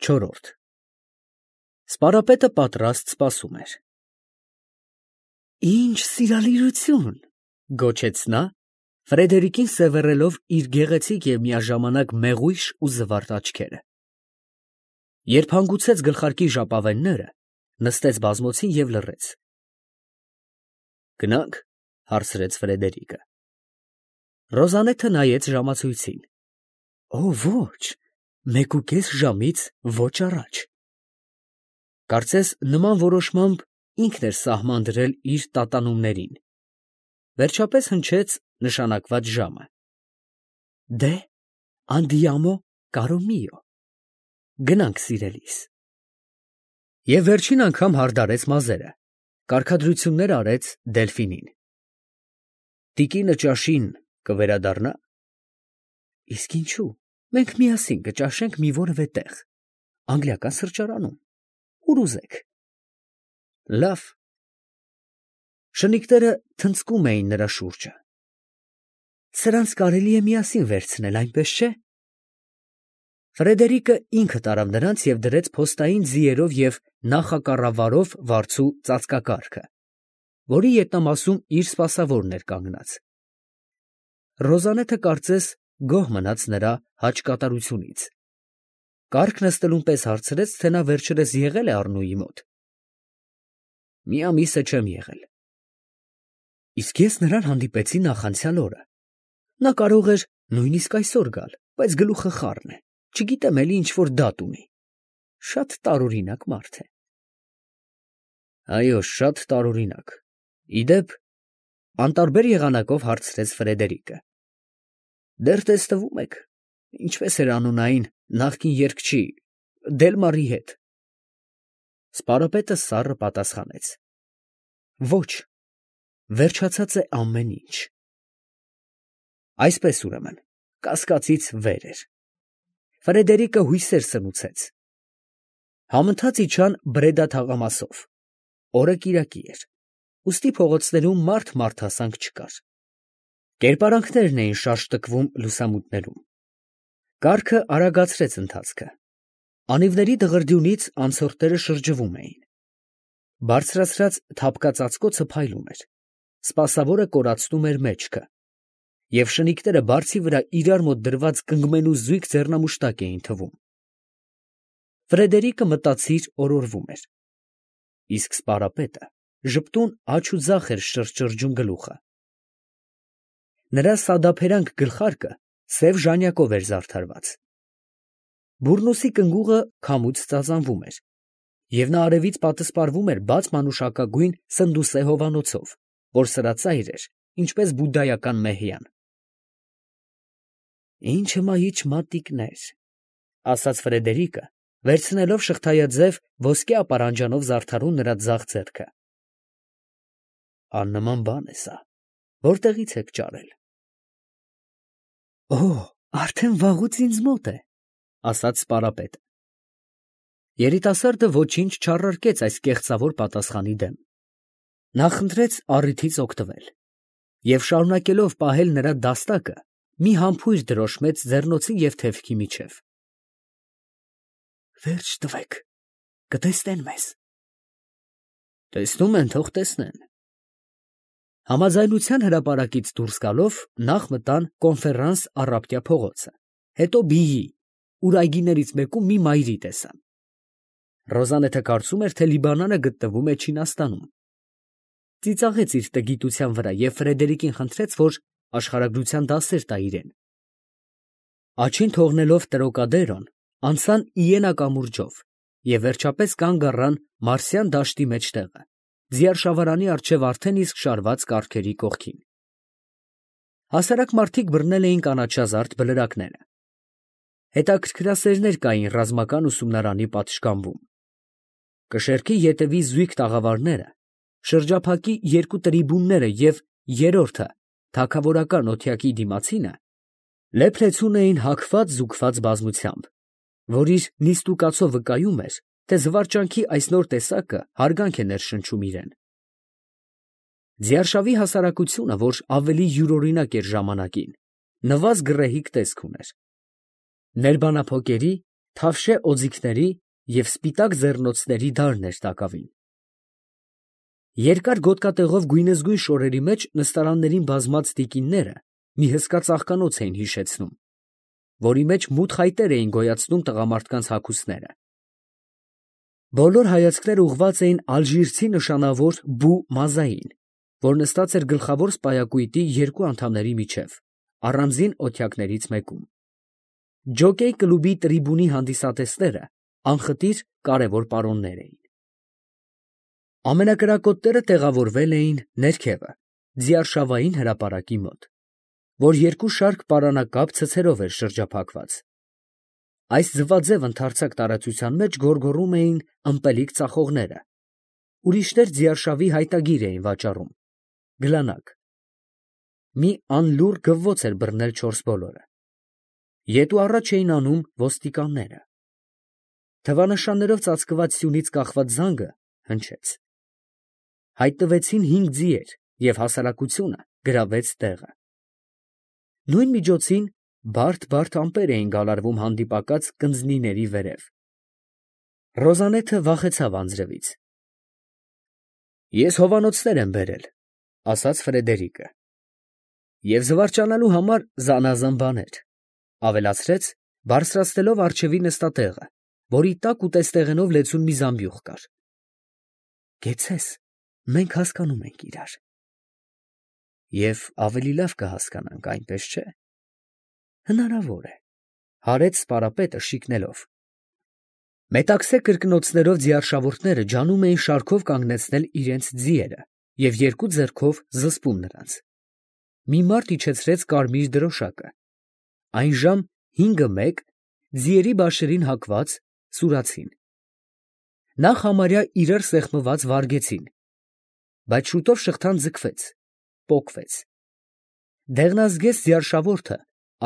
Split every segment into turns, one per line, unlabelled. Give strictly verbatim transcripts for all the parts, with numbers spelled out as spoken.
Չորրորդ Սպարապետը պատրաստ սպասում էր։ Ինչ սիրալիրություն, գոչեց նա, Ֆրեդերիկին սևեռելով իր գեղեցիկ և միաժամանակ մեղույշ ու զվարթ աչքերը։ Երբ հանգուցեց գլխարկի ժապավենները, նստեց բազմոցին և լռեց։ Գնա՞նք, հարցրեց Ֆրեդերիկը։ Ռոզալեթը նայեց ժամացույցին։ Օ, ոչ, մեկուկես ժամից ոչ առաջ։ Կարծես նման որոշմամբ ինքն էր սահման դրել իր տատանումներին։ Վերջապես հնչեց նշանակված ժամը։ Դե, andiamo, caro mio, գնանք սիրելիս։ Եվ վերջին անգամ հարդարեց մազերը, կարգադրություններ արեց Դելֆինին։ Տիկինը ճաշին կվերադառնա։ Իսկ ինչու, մենք միասին կճաշենք մի որևէ տեղ, անգլիական սրճարանում, ուր ուզեք։ Լավ։ Շնիկները թնցկում էին նրա շուրջը։ Սրանց կարելի է միասին վերցնել, այնպես չէ։ Ֆրեդերիկը ինքը տարավ նրանց և դրեց փոստային ձիերով և նախակառավարով վարձու ծածկակառքը, որի ետնամասում իր սպասավորն էր կանգնած։ Ռոզալեթը կարծես գոհ մնաց նրա հաճկատարությունից։ Կառք նստելուն պես հարցրեց, թե նա վերջերս եղե՞լ է Առնուի մոտ։ Մի ամիս է չեմ եղել։ Իսկ ես նրան հանդիպեցի նախանցյալ օրը։ Նա կարող էր նույնիսկ այսօր գալ, բայց գլուխը խառն է, չգիտեմ էլի ինչ֊որ դատ ունի։ Շատ տարօրինակ մարդ է։ Այո, շատ տարօրինակ։ Ի դեպ, անտարբեր եղանակով հարցրեց Ֆրեդերիկը։ Դեռ տեսնվում եք, ինչպես էր անուն այն նախկին երգչի, Դելմարի հետ։ Սպարապետը սառը պատասխանեց. Ոչ, վերջացած է ամեն ինչ։ Այսպես ուրեմն, կասկածից վեր էր։ Ֆրեդերիկը հույսեր սնուցեց։ Համընթաց իջան Բրեդա թաղամասով։ Օրը կիրակի էր, ուստի փողոցներում մարդ մարդասանք չկար։ Կերպարանքներն էին շարժտկվում լուսամուտներում։ Կառքը արագացրեց ընթացքը։ Անիվների դղրդյունից անցորդները շրջվում էին։ Բարձրացրած թափկածածկոցը փայլում էր։ Սպասավորը կորացնում էր մեջքը, և շնիկները բարձի վրա իրար մոտ դրված կնգմենու զույգ ձեռնամուշտակ էին թվում։ Ֆրեդերիկը մտածիր օրորվում էր։ Իսկ սպարապետը ժպտուն աջ ու ձախ էր շրջշրջում գլուխը։ Նրա սադափերանք գլխարկը սև ժանյակով էր զարդարված։ Բուրնուսի կնգուղը քամուց ծածանվում էր, և նա արևից պատսպարվում էր բաց մանուշակագույն սնդուսե հովանոցով, որ սրածայր էր, ինչպես բուդդայական մեհյան։ Ինչ հմայիչ մատիկներ, ասաց Ֆրեդերիկը, վերցնելով շղթայաձև ոսկե ապարանջանով զարդարուն նրա ձախ ձեռքը։ Աննման բան է սա, որտեղից եք ճարել։ Օ, արդեն վաղուց ինձ մոտ է, ասաց սպարապետը։ Երիտասարդը ոչինչ չառարկեց այս կեղծավոր պատասխանի դեմ։ Նա խնդրեց առիթից օգտվել և, շարունակելով պահել նրա դաստակը, մի համբույր դրոշմեց ձեռնոցի և թևքի միջև։ Վերջ տվեք, կտեսնեն մեզ։ Տեսնում են, թող տեսնեն։ Համաձայնության հրապարակից դուրս գալով նախ մտան Կոնֆերանս առափտյա փողոցը, հետո Բիի, ուր այգիներից մեկում մի մայրի տեսան։ Ռոզալեթը կարծում էր, թե Լիբանանը գտնվում է Չինաստանում։ Ծիծաղեց իր տգիտության վրա և Ֆրեդերիկին խնդրեց, որ աշխարհագրության դասեր տա իրեն։ Աչին թողնելով Տրոկադերոն, անցան Իենա կամուրջով և վերջապես կանգ առան Մարսյան դաշտի մեջտեղը, ձիարշավարանի առջև արդեն իսկ շարված կառքերի կողքին։ Հասարակ մարդիկ բռնել էին կանաչազարդ բլրակները։ Հետաքրքրասերներ կային ռազմական ուսումնարանի պատշգամբում։ Կշեռքի ետևի զույգ տաղավարները, շրջափակի երկու տրիբունները և երրորդը թագավորական օթյակի դիմացինը լեփլեցուն էին հագված֊զուգված բազմությամբ, որ իր նիստուկացով վկայում էր, թե զվարճանքի այս նոր տեսակը հարգանք է ներշնչում իրեն։ Ձիարշավի հասարակությունը, որ ավելի յուրօրինակ էր ժամանակին, նվազ գռեհիկ տեսք ուներ։ Ներբանափոկերի, թավշե օձիքների և սպիտակ ձեռնոցների դարն էր տակավին։ Երկար գոտկատեղով գույնզգույն շորերի մեջ նստարաններին բազմած տիկինները մի հսկա ծաղկանոց էին հիշեցնում, որի մեջ մութ խայտեր էին գոյացնում տղամարդկանց հագուստները։ Բոլոր հայացքները ուղղված էին ալժիրցի նշանավոր Բու Մազային, որ նստած էր գլխավոր սպայակույտի երկու անդամների միջև, առանձին օթյակներից մեկում։ Ջոկեյ կլուբի տրիբունի հանդիսատեսները անխտիր կարևոր պարոններ էին։ Ամենակրակոտները տեղավորվել էին ներքևը, ձիարշավային հրապարակի մոտ, որ երկու շարք պարանակապ ցցերով էր շրջափակված։ Այս ձվաձև ընդարձակ տարածության մեջ գոռգոռում էին ըմպելիք ծախողները, ուրիշներ ձիարշավի հայտագիր էին վաճառում, գլանակ։ Մի անլուռ գվվոց էր բռնել չորս բոլորը։ Ետ ու առաջ էին անում ոստիկանները։ Թվանշաններով ծածկված սյունից կախված զանգը հնչեց։ Հայտնվեցին հինգ ձիեր և հասարակությունը գրավեց տեղը։ Նույն միջոցին բարդ-բարդ ամպեր էին գալարվում հանդիպակաց կնձնիների վերև։ Ռոզանեթը վախեցավ անձրևից։ «Ես հովանոցներ եմ բերել», ֊ ասաց Ֆրեդերիկը, «և զվարճանալու համար զանազան բաներ», ֊ ավելացրեց, բարձրացնելով առջևի նստատեղը, որի տակ ուտեստեղենով լեցուն մի զամբյուղ կար։ «Կեցցես, մենք հասկանում ենք իրար»։ «Եվ ավելի լավ կհասկանանք, այնպես չէ՞։ Հնարավոր է, ֊ հարեց սպարապետը շիկնելով։ Մետաքսե կրկնոցներով ձիարշավորները ջանում էին շարքով կանգնեցնել իրենց ձիերը և երկու ձեռքով զսպում նրանց։ Մի մարդ իջեցրեց կարմիր դրոշակը։ Այնժամ հինգը մեկ, ձիերի բաշերին հակված, սուրացին։ Նախ համարյա իրար սեղմված վարգեցին, բայց շուտով շղթան ձգվեց, պոկվեց։ Դեղնազգեստ ձիարշավորթը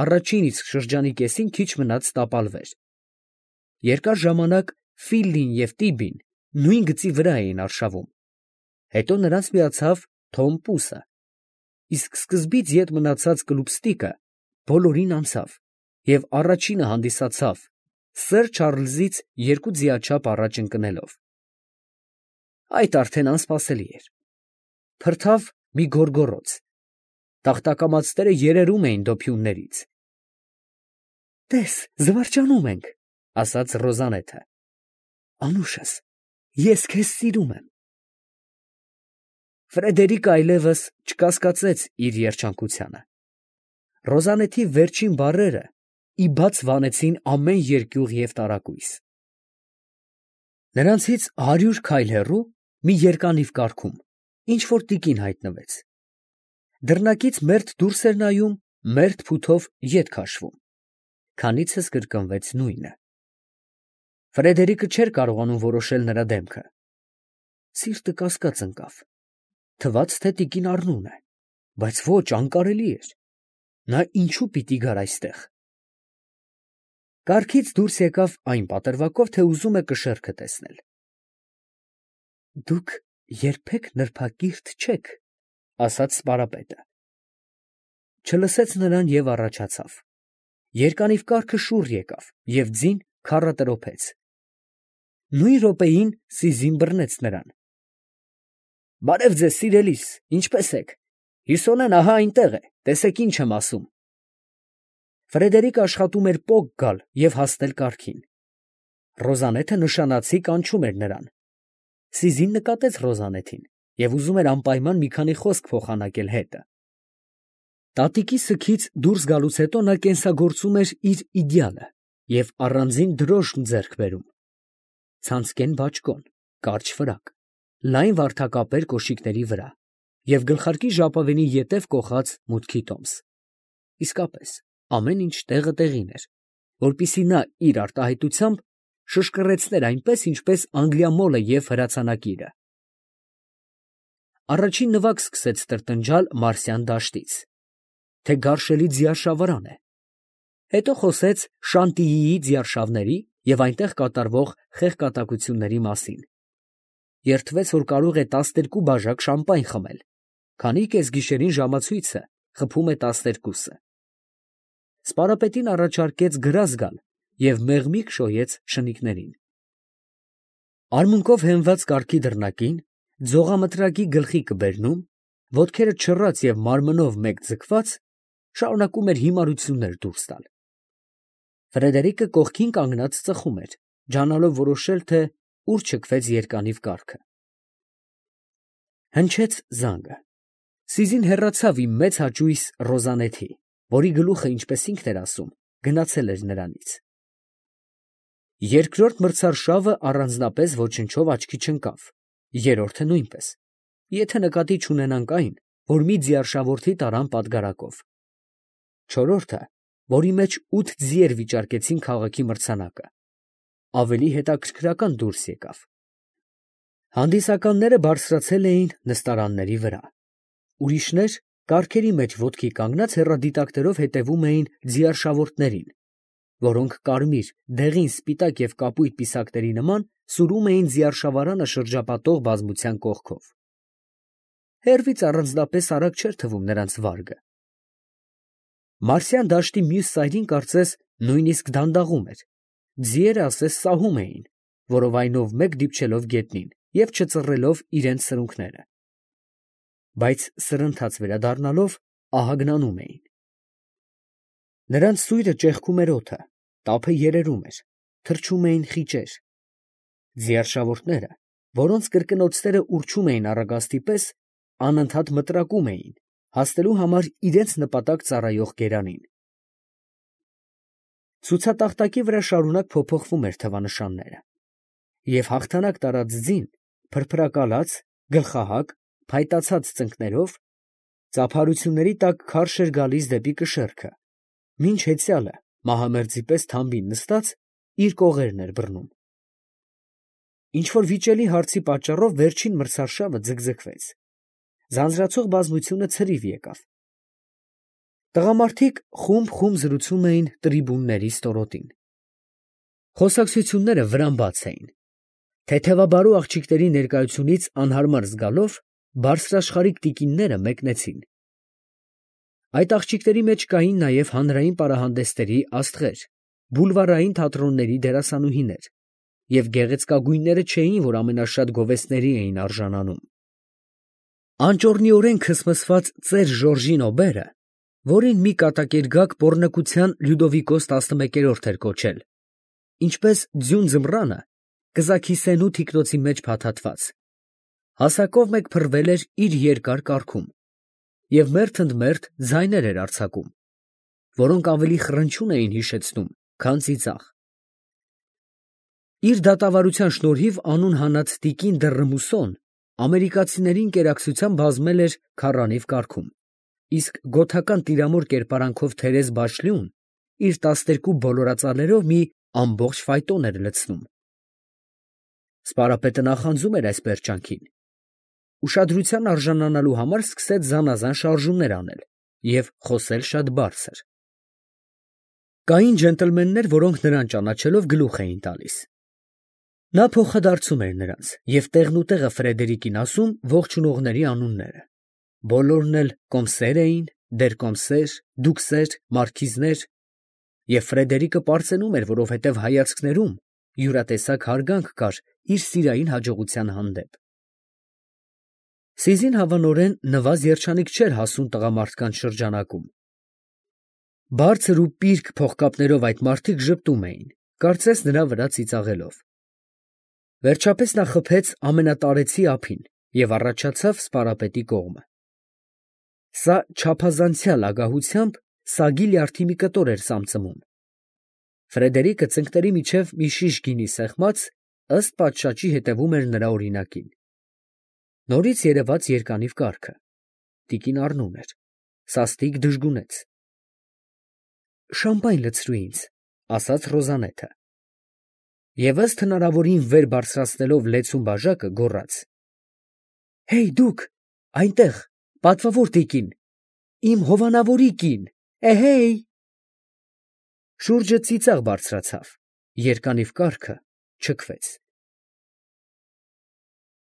առաջին իսկ շրջանի կեսին քիչ մնաց տապալվեր։ Երկար ժամանակ Ֆիլլին և Տիբին նույն գծի վրա էին արշավում, հետո նրանց միացավ Թոմ Պուսը, իսկ սկզբից ետ մնացած Կլուբստիկը բոլորին անցավ և առաջինը հանդիսացավ, սըր Չարլզից երկու ձիաչափ առաջ ընկնելով։ Այդ արդեն անսպասելի էր։ Փրթավ մի գոռգոռոց։ Տախտակամածները երերում էին դոփյուններից։ «Տես, զվարճանում ենք, ֊ ասաց Ռոզանեթը, ֊ անուշս, ես քեզ սիրում եմ»։ Ֆրեդերիկը այլևս չկասկածեց իր երջանկությանը։ Ռոզանեթի վերջին բառերը ի բաց վանեցին ամեն երկյուղ և տարակույս։ Նրանցից հարյուր քայլ հեռու, մի երկանիվ կառքում, ինչ֊որ տիկին հայտնվեց։ Դռնակից մերթ դուրս էր նայում, մերթ փութով ետ քաշվում։ Քանիցս կրկնվեց նույնը։ Ֆրեդերիկը չէր կարողանում որոշել նրա դեմքը։ Սիրտը կասկած ընկավ։ Թվաց, թե տիկին առնուն է, բայց ոչ, անկարելի էր։ Նա ինչու պիտի գար այստեղ։ Կառքից դուրս եկավ այն պատրվակով, թե ուզում է կշեռքը տեսնել։ «Դուք երբեք նրբակիրթ չեք, ֊ ասաց սպարապետը։ Չլսեց նրան և առաջացավ։ Երկանիվ կառքը շուռ եկավ և ձին քառատրոփեց։ Նույն րոպեին Սիզին բռնեց նրան։ «Բարև ձեզ, սիրելիս, ինչպե՞ս եք։ Հիսոնեն ահա այնտեղ է, տեսեք ինչ եմ ասում»։ Ֆրեդերիկը աշխատում էր պոկ գալ և հասնել կառքին։ Ռոզանեթը նշանացի կանչում էր նրան։ Սիզին նկատեց Ռոզանեթին և ուզում էր անպայման մի քանի խոսք փոխանակել հետը։ Տատիկի սգից դուրս գալուց հետո նա կենսագործում էր իր իդեալը և առանձին դրոշմ ձեռք բերում։ Ցանցկեն բաճկոն, կարճ ֆրակ, լայն վարդակապեր կոշիկների վրա և գլխարկի ժապավենի ետև կոխած մուտքի տոմս։ Իսկապես, ամեն ինչ տեղը տեղին էր, որպեսզի նա իր արտահայտությամբ շշկռեցներ այնպես, ինչպես անգլիամոլը և հրացանակիրը։ Առաջին նվագ սկսեց տրտնջալ Մարսյան դաշտից, թե գարշելի ձիարշավարան է։ Հետո խոսեց Շանտիիի ձիարշավների և այնտեղ կատարվող խեղկատակությունների մասին։ Երդվեց, որ կարող է տասներկու բաժակ շամպայն խմել, քանի կեսգիշերին ժամացույցը խփում է տասներկուսը։ Սպարապետին առաջարկեց գրազ գալ և մեղմիկ շոյեց շնիկներին։ Արմունկով հենված կառքի դռնակին, ձողամտրակի գլխիկը բերնում, ոտքերը չռած և մարմնով մեկ ձգված, շարունակում էր հիմարություններ դուրս տալ։ Ֆրեդերիկը կողքին կանգնած ծխում էր, ջանալով որոշել, թե ուր չքվեց երկանիվ կառքը։ Հնչեց զանգը։ Սիզին հեռացավ իմ մեծ հաճույս Ռոզանեթի, որի գլուխը, ինչպես ինքն էր ասում, գնացել էր նրանից։ Երկրորդ մրցարշավը առանձնապես ոչնչով աչքի չընկավ, երրորդը նույնպես, եթե նկատի չունենանք այն, որ մի ձիարշավորթի տարան պատգարակով։ Չորրորդը, որի մեջ ութ ձիեր վիճարկեցին քաղաքի մրցանակը, ավելի հետաքրքրական դուրս եկավ։ Հանդիսականները բարձրացել էին նստարանների վրա, ուրիշներ կառքերի մեջ ոտքի կանգնած հեռադիտակներով հետևում էին ձիարշավորտներին, որոնք կարմիր, դեղին, սպիտակ և կապույտ պիսակների նման սուրում էին ձիարշավարանը շրջապատող բազմության կողքով։ Հեռվից առանձնապես արագ չէր թվում նրանց վարգը։ Մարսյան դաշտի մյուս ծայրին կարծես նույնիսկ դանդաղում էր, ձիերը ասես սահում էին, որովայնով մեկ դիպչելով գետնին և չծռելով իրենց սրունքները, բայց սրընթաց վերադառնալով ահագնանում էին։ Նրանց սույրը ճեղքում էր օդը, տափը երերում էր, թռչում էին խիճեր։ Ձիարշավորտները, որոնց կրկնոցները ուռչում էին առագաստի պես, անընդհատ մտրակում էին, հասնելու համար իրենց նպատակ ծառայող գերանին։ Ցուցատախտակի վրա շարունակ փոփոխվում էր թվանշանները, և հաղթանակ տարած ձին, փրփրակալած, գլխահակ, փայտացած ծնկներով, ծափարությունների տակ քարշ էր գալիս դեպի կշեռքը, մինչ հեծյալը, մահամերձի պես թամբին նստած, իր կողերն էր բռնում։ Ինչ֊որ վիճելի հարցի պատճառով վերջին մրցարշավը ձգձգվեց, ձանձրացող բազմությունը ցրիվ եկավ։ Տղամարդիկ խումբ֊խումբ զրուցում էին տրիբունների ստորոտին։ Խոսակցությունները վրան բաց էին։ Թեթևաբարու աղջիկների ներկայությունից անհարմար զգալով, բարձրաշխարհիկ տիկինները մեկնեցին։ Այդ աղջիկների մեջ կային նաև հանրային պարահանդեսների աստղեր, բուլվարային թատրոնների դերասանուհիներ, և գեղեցկագույնները չէին, որ ամենաշատ գովեստների էին արժանանում։ Անճոռնիորեն քսմսված ծեր Ժորժին Օբերը, որին մի կատակերգակ պոռնկության Լյուդովիկոս տասնմեկերորդ էր կոչել, ինչպես ձյուն ձմռանը, կզաքիսենու թիկնոցի մեջ փաթաթված, հասակով մեկ փռվել էր իր երկար կառքում և մերթ ընդ մերթ ձայներ էր արձակում, որոնք ավելի խռնչյուն էին հիշեցնում, քան ծիծաղ։ Իր դատավարության շնորհիվ անուն հանած տիկին դը Ռմուսոն ամերիկացիների ընկերակցությամբ բազմել էր քառանիվ կառքում, իսկ գոթական տիրամոր կերպարանքով Թերեզ Բաշլյուն իր տասներկու բոլորածալերով մի ամբողջ ֆայտոն էր լցնում։ Սպարապետը նախանձում էր այս պերճանքին, ուշադրության արժանանալու համար սկսեց զանազան շարժումներ անել և խոսել շատ բարձր։ Կային ջենտլմեններ, որոնք նրան ճանաչելով գլուխ էին տալիս։ Նա փոխադարձում էր նրանց և տեղնուտեղը Ֆրեդերիկին ասում ողջունողների անունները։ Բոլորն էլ կոմսեր էին, դեր֊կոմսեր, դուքսեր, մարքիզներ, և Ֆրեդերիկը պարծենում էր, որովհետև հայացքներում յուրատեսակ հարգանք կար իր սիրային հաջողության հանդեպ։ Սիզին հավանորեն նվազ երջանիկ չէր հասուն տղամարդկանց շրջանակում։ Բարձր ու պիրկ փողկապներով այդ մարդիկ ժպտում էին, կարծես նրա վրա ծիծաղելով։ Վերջապես նա խփեց ամենատարեցի ափին և առաջացավ սպարապետի կողմը։ Սա չափազանցյալ ագահությամբ սագի լյարդի մի կտոր էր սամծմում։ Ֆրեդերիկը ծնկների միջև մի շիշ գինի սեղմած, ըստ պատշաճի հետևում էր նրա օրինակին։ Նորից երևաց երկանիվ կառքը։ Տիկին առնում էր, սաստիկ դժգունեց։ «Շամպայն լցրու ինձ», ֊ ասաց Ռոզանեթը։ Եվ ըստ հնարավորին վեր բարձրացնելով լեցուն բաժակը, գոռաց. «Հեյ, դուք, այնտեղ, պատվավոր տիկին, իմ հովանավորի կին, էհեյ»։ Շուրջը ծիծաղ բարձրացավ, երկանիվ կառքը չքվեց։